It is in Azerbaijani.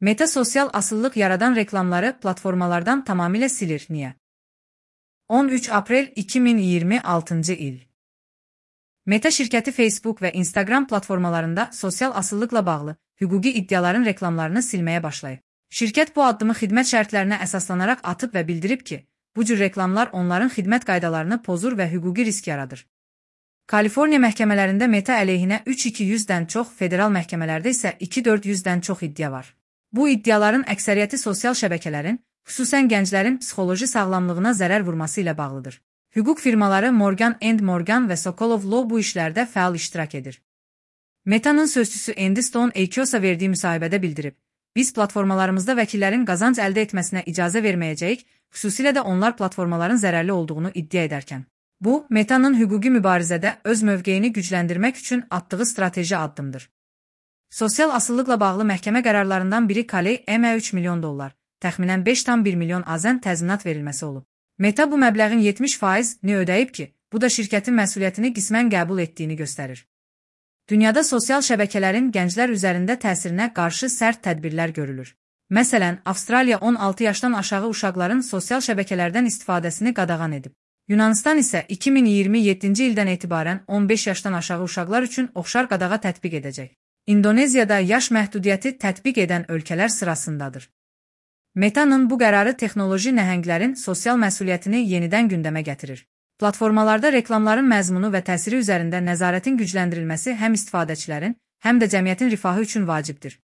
Meta sosial asıllıq yaradan reklamları platformalardan tamamilə silir. Niyə? 13 aprel 2026 il. Meta şirkəti Facebook və Instagram platformalarında sosial asıllıqla bağlı hüquqi iddiaların reklamlarını silməyə başlayıb. Şirkət bu addımı xidmət şərtlərinə əsaslanaraq atıb və bildirib ki, bu cür reklamlar onların xidmət qaydalarını pozur və hüquqi risk yaradır. Kaliforniya məhkəmələrində Meta əleyhinə 3200-dən çox, federal məhkəmələrdə isə 2400-dən çox iddia var. Bu iddiaların əksəriyyəti sosial şəbəkələrin, xüsusən gənclərin psixoloji sağlamlığına zərər vurması ilə bağlıdır. Hüquq firmaları Morgan & Morgan və Sokolov Law bu işlərdə fəal iştirak edir. Meta'nın sözçüsü Andy Stone Axios'a verdiyi müsahibədə bildirib, biz platformalarımızda vəkillərin qazanc əldə etməsinə icazə verməyəcəyik, xüsusilə də onlar platformaların zərərli olduğunu iddia edərkən. Bu, Meta'nın hüquqi mübarizədə öz mövqeyini gücləndirmək üçün atdığı strateji addımdır. Sosial asıllıqla bağlı məhkəmə qərarlarından biri Kaley-ME $3 milyon, təxminən 5,1 milyon AZN təzminat verilməsi olub. Meta bu məbləğin 70%ni ödəyib ki, bu da şirkətin məsuliyyətini qismən qəbul etdiyini göstərir. Dünyada sosial şəbəkələrin gənclər üzərində təsirinə qarşı sərt tədbirlər görülür. Məsələn, Avstraliya 16 yaşdan aşağı uşaqların sosial şəbəkələrdən istifadəsini qadağan edib. Yunanistan isə 2027-ci ildən etibarən 15 yaşdan aşağı uşaqlar üçün oxşar qadağa tətbiq edəcək. İndoneziyada yaş məhdudiyyəti tətbiq edən ölkələr sırasındadır. Meta'nın bu qərarı texnoloji nəhənglərin sosial məsuliyyətini yenidən gündəmə gətirir. Platformalarda reklamların məzmunu və təsiri üzərində nəzarətin gücləndirilməsi həm istifadəçilərin, həm də cəmiyyətin rifahı üçün vacibdir.